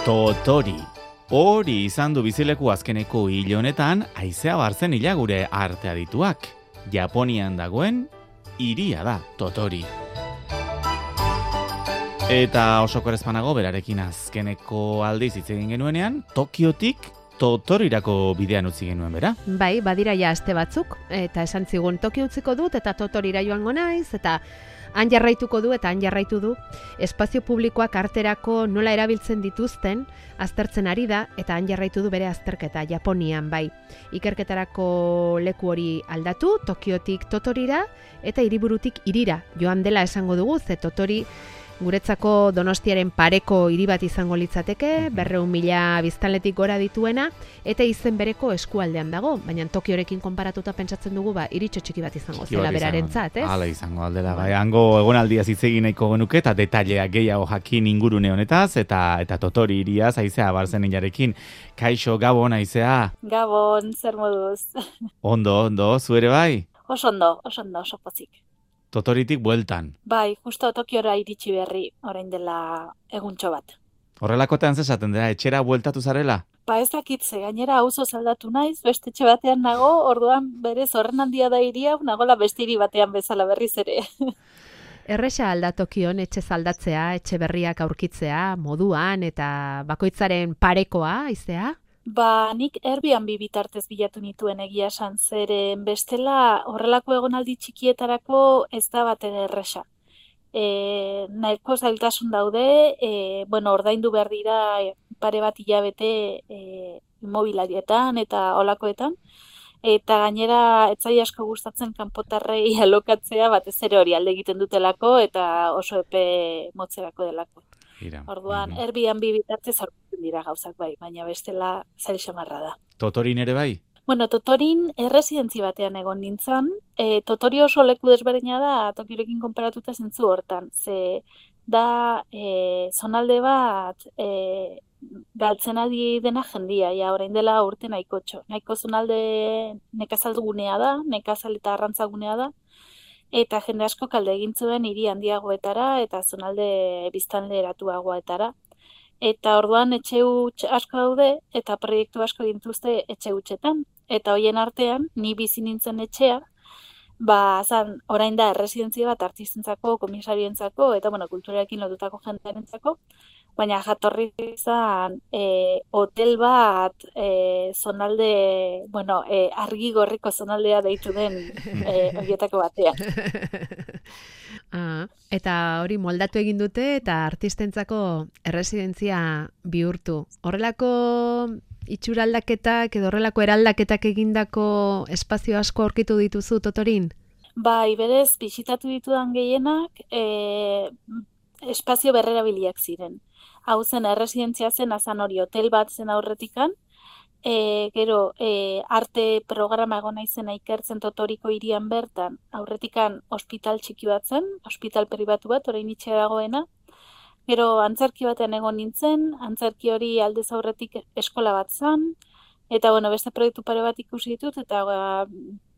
Totori. Hori izan du bizileku azkeneko hil honetan, haizea bartzen hila gure arte adituak. Japonian dagoen hiria da Totori. Eta oso korrespanago berarekin azkeneko aldiz hitz egin genuenean, Tokiotik Totorirako bidean utzi genuen bera. Bai, badira ja aste batzuk, eta esan zigun Tokio utziko dut, eta Totorira joango naiz, eta han jarraituko du, eta han jarraitu du. Espazio publikoak arterako nola erabiltzen dituzten, aztertzen ari da, eta han jarraitu du bere azterketa, Japonian, bai. Ikerketarako leku hori aldatu, Tokiotik Totorira, eta hiriburutik hirira joan dela esango dugu, ze Totori guretzako Donostiaren pareko hiri bat izango litzateke, 200.000 biztanletik gora dituena, eta izen bereko eskualdean dago, baina Tokiorekin konparatuta pentsatzen dugu, hiritxo txiki bat izango zela berarentzat, ez? Hala izango aldela, bai, hango egonaldiaz hitz egin nahiko genuke, eta detaileak gehiago jakin ingurune honetaz, eta Totori hiriaz, haizea barzen ilarekin. Kaixo, Gabon, haizea? Gabon, zer moduz? Ondo, zu ere bai? Oso oso pozik. Totoritik bueltan. Bai, justo Tokiora iritsi berri, orain dela eguntxo bat. Horrelakotean zesaten dira, etxera bueltatu zarela? Ba ez dakitze, gainera auzo aldatu naiz, beste etxe batean nago, orduan berez horren handia da hiria, nagola beste hiri batean bezala berriz ere. Erresa alda Tokion etxe aldatzea, etxe berriak aurkitzea, moduan eta bakoitzaren parekoa, haizea? Ba, nik Airbnb bitartez bilatu nituen egia esan, zeren bestela horrelako egonaldi txikietarako ez da batere erresa. Nahiko zailtasun daude, ordaindu behar dira pare bat hilabete immobiliarietan eta holakoetan, eta gainera etzai asko gustatzen kanpotarrei alokatzea batez ere hori alde egiten dutelako eta oso epe motzerako delako. Orduan, Airbnb bitartez aurkitzen dira gauzak bai, baina bestela zail xamarra da. Totorin ere bai? Bueno, Totorin erresidentzi batean egon nintzen. Totori oso leku desberdina da, Tokiorekin konparatuta zentzu hortan. Ze da zonalde bat galtzen ari dena jendia, ja orain dela urte nahikotxo. Nahiko zonalde nekazaldugunea da, nekazal eta arrantzagunea da. Eta jende asko kalde egin zuen hiri handiagoetara eta zonalde biztanle eratuagoetara. Eta orduan etxe huts asko daude eta proiektu asko dituzte etxe hutsetan. Eta hoien artean, ni bizi nintzen etxea, orain da erresidentzia bat artistentzako, komisarioentzako eta kulturarekin lotutako jendearentzako, baina jatorri izan hotel bat zonalde, argi gorriko zonaldea deitu den horietako batean. Eta hori moldatu egin dute eta artistentzako erresidentzia bihurtu. Horrelako itxuraldaketak edo horrelako eraldaketak egindako espazio asko aurkitu dituzu Totorin? Bai, berez, bisitatu ditudan gehienak espazio berrerabiliak ziren. Hau zen, erresidentzia zen, azan hori hotel bat zen aurretikan, gero arte programa egon naizena ikertzen Totoriko hirian bertan, aurretikan ospital txiki bat zen, ospital pribatu bat, orain itxe dagoena, gero antzerki batean egon nintzen, antzerki hori aldez aurretik eskola bat zen, eta beste proiektu pare bat ikusi ditut, eta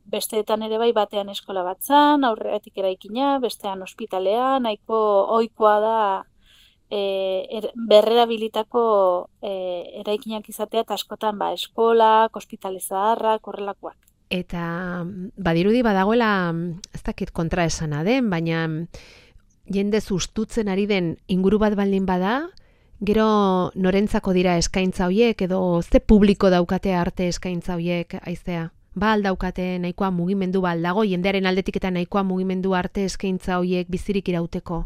besteetan ere bai batean eskola bat zen, aurretik eraikina, bestean ospitalea, nahiko ohikoa da berrerabilitako eraikinak izatea eta askotan eskolak, ospitale zaharrak, horrelakoak. Eta badirudi badagoela, ez dakit kontraesana den, baina jende sustutzen ari den inguru bat baldin bada, gero norentzako dira eskaintza horiek edo ze publiko daukate arte eskaintza horiek, haizea? Daukate nahikoa mugimendu dago, jendearen aldetik eta nahikoa mugimendu arte eskaintza horiek bizirik irauteko?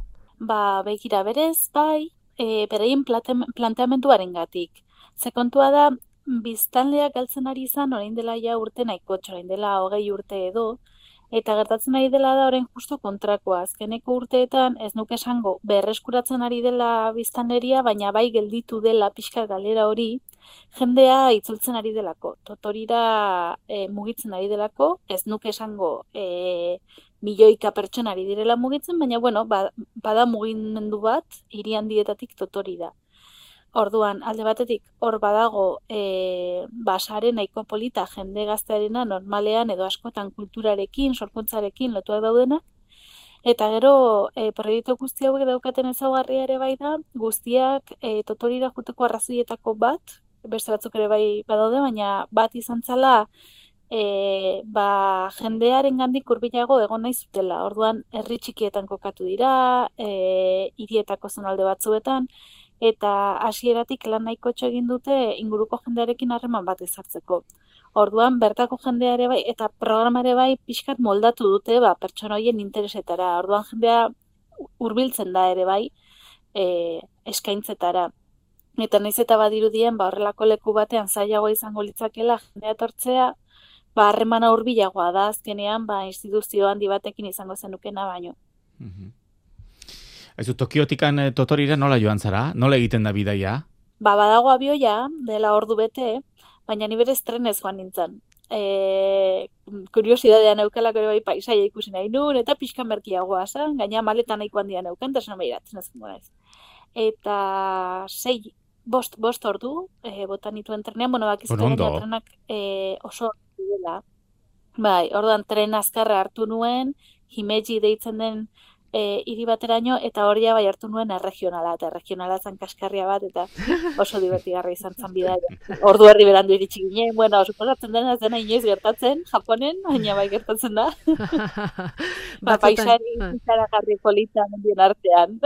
Begira berez, beraien planteamenduarengatik. Ze kontua da, biztanleak galtzen ari izan orain dela ja urte nahikotxo, orain dela 20 urte edo, eta gertatzen ari dela da orain justo kontrakoa. Azkeneko urteetan ez nuke esango berreskuratzen ari dela biztanleria, baina bai gelditu dela pixka galera hori, jendea itzultzen ari delako. Totorira mugitzen ari delako, ez nuke esango milioika pertsonari direla mugitzen, baina bada mugimendu bat hiri handietatik Totori da. Orduan, alde batetik, hor badago sare nahiko polita jende gaztearena normalean edo askotan kulturarekin, sorkuntzarekin lotuak daudenak, Eta gero, proiektu guzti hauek daukaten ezaugarria ere bai da, guztiak totorira juteko arrazoietako bat, beste batzuk ere bai badaude, baina bat izan zala, jendearen gandik hurbilago egon nahi zutela. Orduan, herri txikietan kokatu dira, hirietako zonalde batzuetan, eta hasieratik lan nahikotxo egin dute inguruko jendearekin harreman bat ezartzeko. Orduan, bertako jendea ere bai, eta programa ere bai, pixkat moldatu dute, pertsona horien interesetara. Orduan, jendea hurbiltzen da ere bai, eskaintzetara. Eta nahiz eta badirudien, horrelako leku batean zailagoa izango litzakela jendea etortzea, harremana hurbilagoa da, azkenean, instituzio handi batekin izango zenukena baino. Aizu, Tokiotikan Totorira nola joan zara? Nola egiten da bidaia? Badago abioia, dela ordu bete, baina ni berez trenez joan nintzen. Kuriosidadean neukalako ere bai paisaia ikusi nahi nun, eta pixkan merkiagoa zen, gaina maletan nahiko handia neukan, eta esan behiratzen ez naiz. Eta 5 ordu, botan nituen trenean, bakizuten trenak oso dela. Bai, orduan tren azkarra hartu nuen, Himeji deitzen den hiri bateraino, eta hori bai hartu nuen erregionala, eta erregionala zen kaskarria bat, eta oso divertigarra izan zen bidaia. Ordu herri berandu iritsi ginen, suposatzen dena ez dena inoiz gertatzen, Japonen, baina bai gertatzen da. Paisari zaragarri polita mendien artean.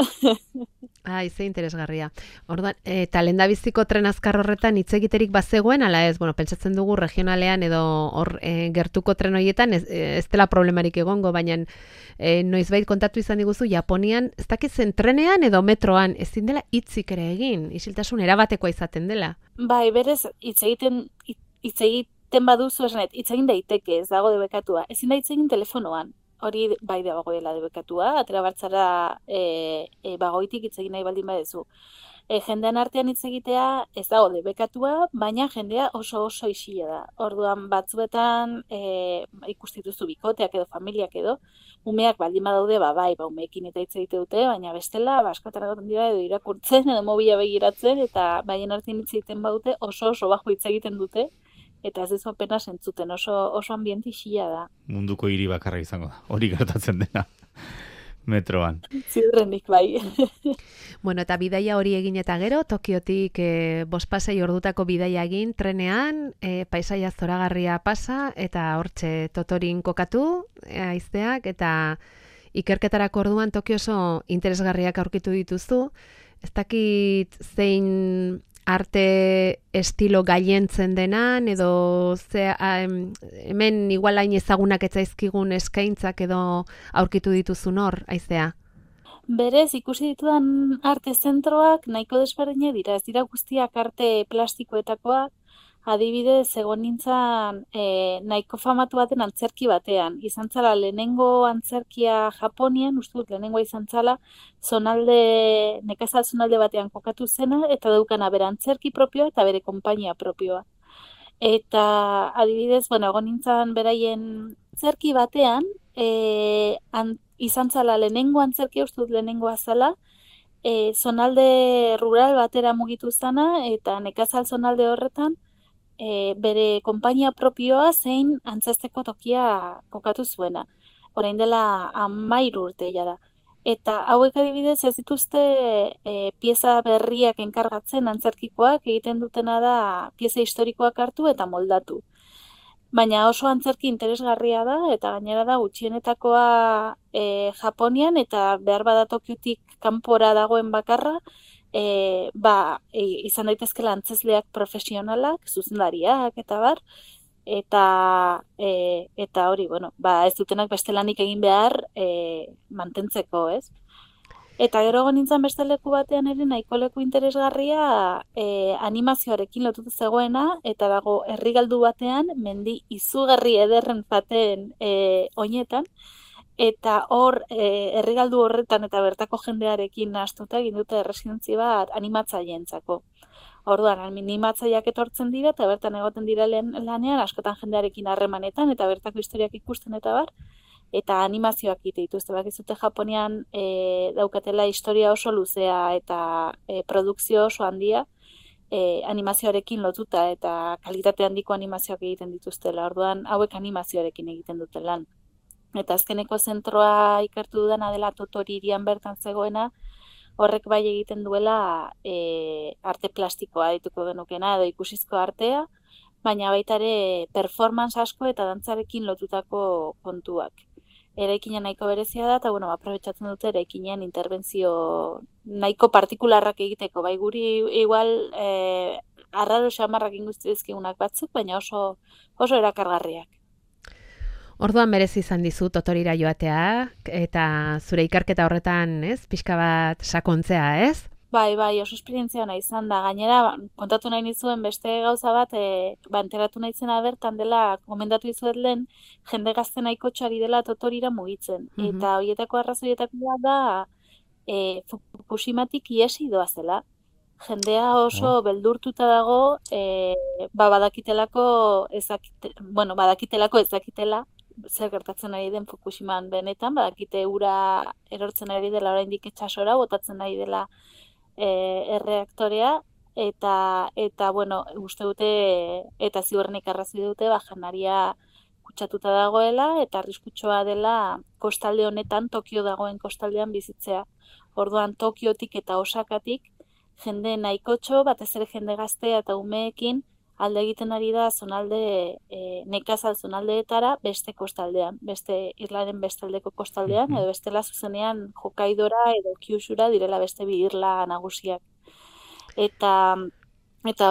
Ze interesgarria. Orduan, eta lehendabiziko tren azkar horretan hitz egiterik bazegoen, ala ez, pentsatzen dugu regionalean edo hor gertuko tren horietan ez dela problemarik egongo, baina noizbait kontatu izan diguzu Japonian, ez dakitzen trenean edo metroan ezin dela hitzik ere egin, isiltasun erabatekoa izaten dela. Bai, berez hitz egiten baduzu esanet, hitz egin daiteke, ez dago debekatua. Ezin da hitz egin telefonoan. Hori bai dagoela debekatua, atera bartzara bagoitik hitz egin nahi baldin badezu. Jendean artean hitz egitea ez dago debekatua, baina jendea oso isila da. Orduan batzuetan ikustituzu bikoteak edo familiak edo, umeak baldin badaude, umeekin eta hitz egite dute, baina bestela, askotan egoten dira edo irakurtzen edo mobila begiratzen, eta baien artean hitz egiten badute oso bajo hitz egiten dute, eta ez dezu apenas entzuten, oso ambiente isila da. Munduko hiri bakarra izango da, hori gertatzen dena, metroan. Ziurrenik bai. Eta bidaia hori egin eta gero, Tokiotik 5 ordutako bidaia egin, trenean, paisaia zoragarria pasa, eta hortxe Totorin kokatu, haizeak, eta ikerketarako orduan Tokio oso interesgarriak aurkitu dituzu. Ez dakit zein arte estilo gailentzen denan, edo hemen igual hain ezagunak etzaizkigun eskaintzak edo aurkitu dituzun hor, haizea? Berez, ikusi ditudan arte zentroak nahiko desberdinak dira, ez dira guztiak arte plastikoetakoak, adibidez, egon nintzen nahiko famatu baten antzerki batean. Izan zala lehenengo antzerkia Japonian, uste dut lehenengoa izan zala, nekazal zonalde batean kokatu zena, eta daukana bere antzerki propioa eta bere konpainia propioa. Eta adibidez, egon nintzen beraien antzerki batean, izan zala lehenengo antzerkia, uste dut lehenengoa zala, zonalde rural batera mugitu zana, eta nekazal zonalde horretan, bere konpainia propioa zein antzesteko tokia kokatu zuena. Orain dela 13 urte da. Eta hauek adibidez ez dituzte pieza berriak enkargatzen antzerkikoak, egiten dutena da pieza historikoak hartu eta moldatu. Baina oso antzerki interesgarria da, eta gainera da gutxienetakoa Japonian, eta behar bada Tokiotik kanpora dagoen bakarra, izan daitezkela antzesleak profesionalak, zuzendariak eta bar, eta hori, ez dutenak beste lanik egin behar mantentzeko, ez? Eta gero nintzen beste leku batean ere nahiko leku interesgarria animazioarekin lotutu zegoena, eta dago herrigaldu batean mendi izugarri ederren baten oinetan, eta hor herrigaldu horretan eta bertako jendearekin nahastuta egin dute erresidentzi bat animatzaileentzako. Orduan, animatzaileak etortzen dira eta bertan egoten dira lanean askotan jendearekin harremanetan eta bertako historiak ikusten eta bar, eta animazioak egite dituzte. Bakizute Japonian daukatela historia oso luzea eta produkzio oso handia animazioarekin lotuta eta kalitate handiko animazioak egiten dituztela. Orduan, hauek animazioarekin egiten dute lan. Eta azkeneko zentroa ikertu dudana dela Totori hirian bertan zegoena, horrek bai egiten duela arte plastikoa dituko genukena edo ikusizko artea, baina baita ere performance asko eta dantzarekin lotutako kontuak. Eraikina nahiko berezia da, eta bueno, aprobetxatzen dute eraikinean interbentzio nahiko partikularrak egiteko, bai guri igual arraro xamarrak inguztizkigunak batzuk, baina oso erakargarriak. Orduan merezi izan dizu Totorira joatea, eta zure ikerketa horretan, ez, pixka bat sakontzea, ez? Bai, oso esperientzia ona izan da. Gainera, kontatu nahi nizuen beste gauza bat, enteratu nahi zena bertan dela, gomendatu dizuet lehen, jende gazte nahiko txari dela Totorira mugitzen. Eta horietako arrazoietako da, Fukushimatik iesi doazela. Jendea oso beldurtuta dago, badakitelako ezakitela, zer gertatzen ari den Fukushiman benetan, badakite ura erortzen ari dela oraindik itsasora, botatzen ari dela erreaktorea, eta bueno, uste dute, eta ziurrenik arrazoi dute, janaria kutsatuta dagoela, eta arriskutsoa dela kostalde honetan, Tokio dagoen kostaldean bizitzea. Orduan Tokiotik eta Osakatik, jende nahikotxo, batez ere jende gaztea eta umeekin, alde egiten ari da zonalde, nekazal zonaldeetara beste kostaldean, beste irlaren bestaldeko kostaldean, edo bestela zuzenean Hokkaidora edo Kyushura direla beste bi irla nagusiak. Eta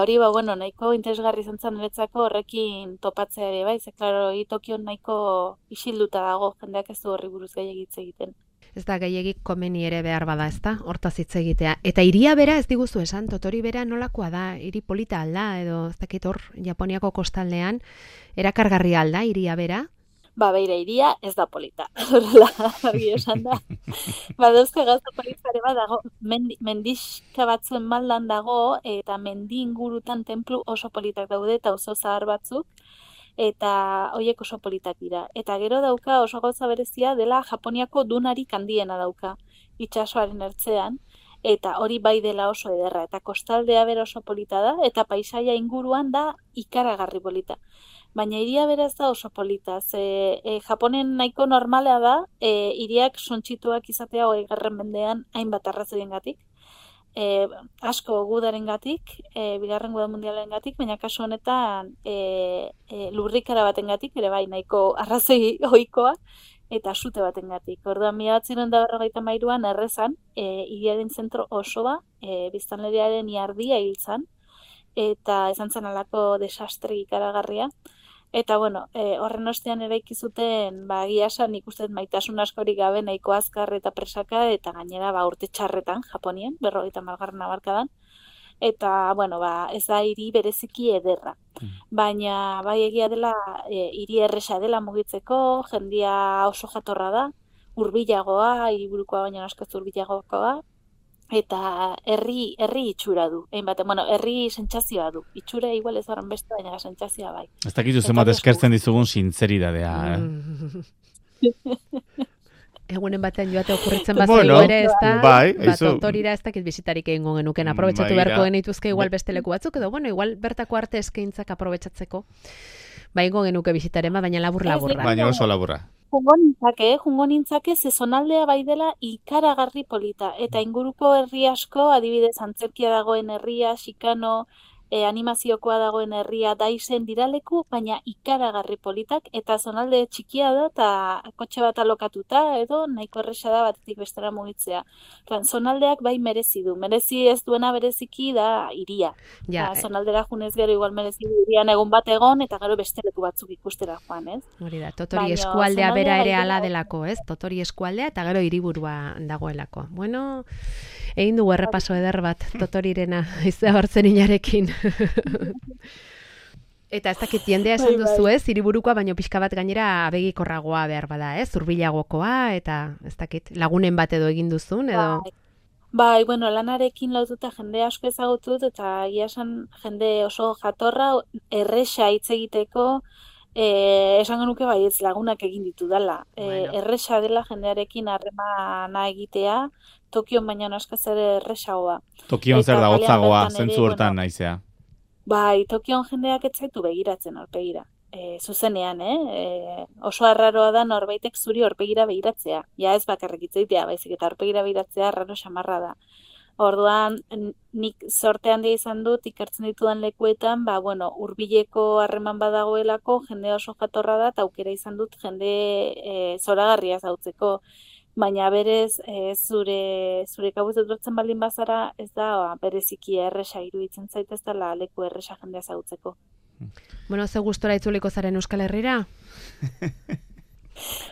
hori, nahiko interesgarri izan zen niretzako horrekin topatzea ere, bai, ze, klaro, Tokion nahiko isilduta dago, jendeak ez du horri buruz gehiagitz egiten. Ez da gehiagik komeni ere behar bada, ez da, hortaz hitz egitea. Eta hiria bera ez diguzu esan, Totori bera nolakoa da, hiri polita alda, edo ez dakit hor, Japoniako kostaldean, erakargarri alda, hiria bera? Beira, hiria ez da polita, horrela argi esan da. Dauzka gauza politare bat dago, mendixka batzuen maldan dago, eta mendi ingurutan tenplu oso politak daude, eta oso zahar batzuk, eta horiek oso politak dira. Eta gero dauka oso gauza berezia dela Japoniako dunarik handiena dauka, itsasoaren ertzean, eta hori bai dela oso ederra, eta kostaldea bera oso polita da, eta paisaia inguruan da ikaragarri polita. Baina hiria beraz da oso polita, Japonen nahiko normala da, hiriak suntsituak izatea 20. mendean hainbat arrazoiengatik, asko gudarengatik, Bigarren Guda Mundialengatik, baina kasu honetan lurrikara batengatik, ere bai nahiko arrazoi ohikoa, eta sute batengatik. Orduan 1953an Errezan, hiriaren zentro osoa, biztanleriaren iardia hil zen, eta izan zen halako desastre ikaragarria. Eta horren ostean eraiki zuten, egia esan ikusten maitasun askorik gabe nahiko azkar eta presaka, eta gainera urte txarretan Japonien, 50. hamarkadan. Eta, ez da hiri bereziki ederra. Baina, bai egia dela, hiri erresa dela mugitzeko, jendia oso jatorra da, hurbilagoa, hiriburukoa baina askoz hurbilagoa, eta herri itxura du. Herri sentsazioa du. Itxura igual ez horren beste, baina sentsazioa bai. Ez dakizu zenbat eskertzen dizugun sinceridadea, Egunen batean joate okurritzen bazaigu ere, ez da, Totorira ez dakit bizitarik egingo genuken, aprobetxatu beharko genituzke igual beste leku batzuk, edo igual bertako arte eskaintzak aprobetxatzeko, ingo genuke bizitarema, baina labur-laburra. Baina oso laburra. Jungo nintzake, zonaldea bai dela ikaragarri polita, eta inguruko herri asko, adibidez antzerkia dagoen herria, Shikano, animaziokoa dagoen herria Daizen diraleku, baina ikaragarri politak, eta zonalde txikia da, eta kotxe bat alokatuta, edo nahiko erresa da batetik bestera mugitzea. Zonaldeak bai merezi du, merezi ez duena bereziki da hiria. Zonaldera junez gero igual merezi du hirian egun bat egon, eta gero beste leku batzuk ikustera joan, ez? Hori da, Totori eskualdea bera ere ala delako, ez? Totori eskualdea eta gero hiriburua dagoelako. Egin dugu errepaso eder bat Totorirena izea hartzen inarekin. Eta ez dakit jendea esan duzu, ez? Hiriburukoa baino pixka bat gainera abegikorragoa behar bada, ez? Zurbilagokoa, eta ez dakit lagunen bat edo egin duzun, edo? Lanarekin lotuta jende asko ezagutu dut, eta egia esan jende oso jatorra, erresa hitz egiteko, esango nuke ez lagunak egin ditu dela. Erresa dela jendearekin harremana egitea, Tokion baina askoz ere erresagoa. Tokion zer da hotzagoa, zentzu hortan naizea. Tokion jendeak ez zaitu begiratzen aurpegira. zuzenean, oso arraroa da norbaitek zuri aurpegira begiratzea. Ja ez bakarrik hitz egitea, baizik eta aurpegira begiratzea arraro xamarra da. Orduan, nik sorte handia izan dut ikertzen ditudan lekuetan, hurbileko harreman badagoelako, jende oso jatorra da, eta aukera izan dut jende zoragarria zautzeko. Baina berez, zure kabuz etortzen baldin bazara, ez da bereziki erresa iruditzen zait, ez dela leku erresa jendea zautzeko. Ze gustora itzuliko zaren Euskal Herrira?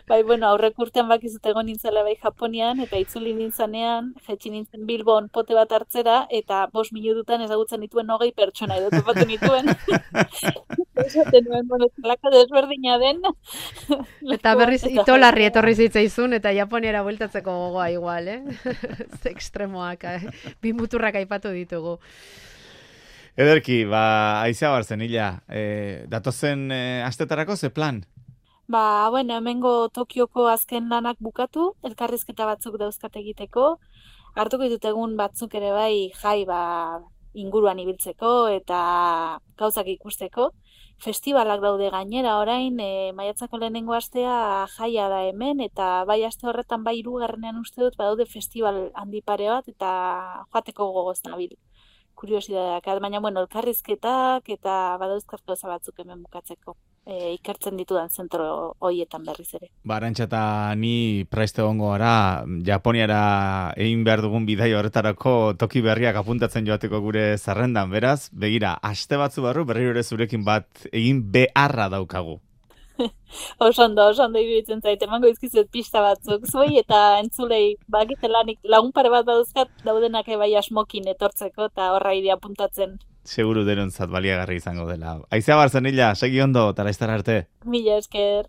Aurrek urtean bakizut egon nintzela Japonian, eta itzuli nintzanean, jetxi nintzen Bilbon pote bat hartzera, eta 5 minututan ezagutzen dituen 20 pertsona edo topatzen dituen. Esaten nuen, zelako desberdina den. Eta berriz itolarri etorri zitzaizun, eta Japoniara bueltatzeko gogoa igual, Ze ekstremoak, bi muturrak aipatu ditugu. Ederki, Aizea Barzenilla, datozen astetarako ze plan? Hemengo Tokioko azken lanak bukatu, elkarrizketa batzuk dauzkat egiteko, hartuko ditut egun batzuk ere jai inguruan ibiltzeko eta gauzak ikusteko. Festibalak daude gainera orain, maiatzako lehenengo astea jaia da hemen, eta aste horretan 3. uste dut badaude festival handi pare bat, eta joateko gogoz nabil. Kuriosidadeak, baina elkarrizketak eta badauzkat gauza batzuk hemen bukatzeko. Ikertzen ditudan zentro hoietan berriz ere. Arantxa eta ni praizte gongo gara, Japoniara egin behar dugun bidai horretarako toki berriak apuntatzen joateko gure zerrendan, beraz, begira, aste batzu barru berriro ere zurekin bat egin beharra daukagu. Osondo iruditzen zait, emango izkizuet pista batzuk, zuei eta entzulei bakitelanik lagun pare bat dauzkat daudenak asmokin etortzeko eta horra idea apuntatzen. Seguru denontzat baliagarri izango dela. Aizea Barzenilla, segi ondo, eta laiztara arte. Mila esker.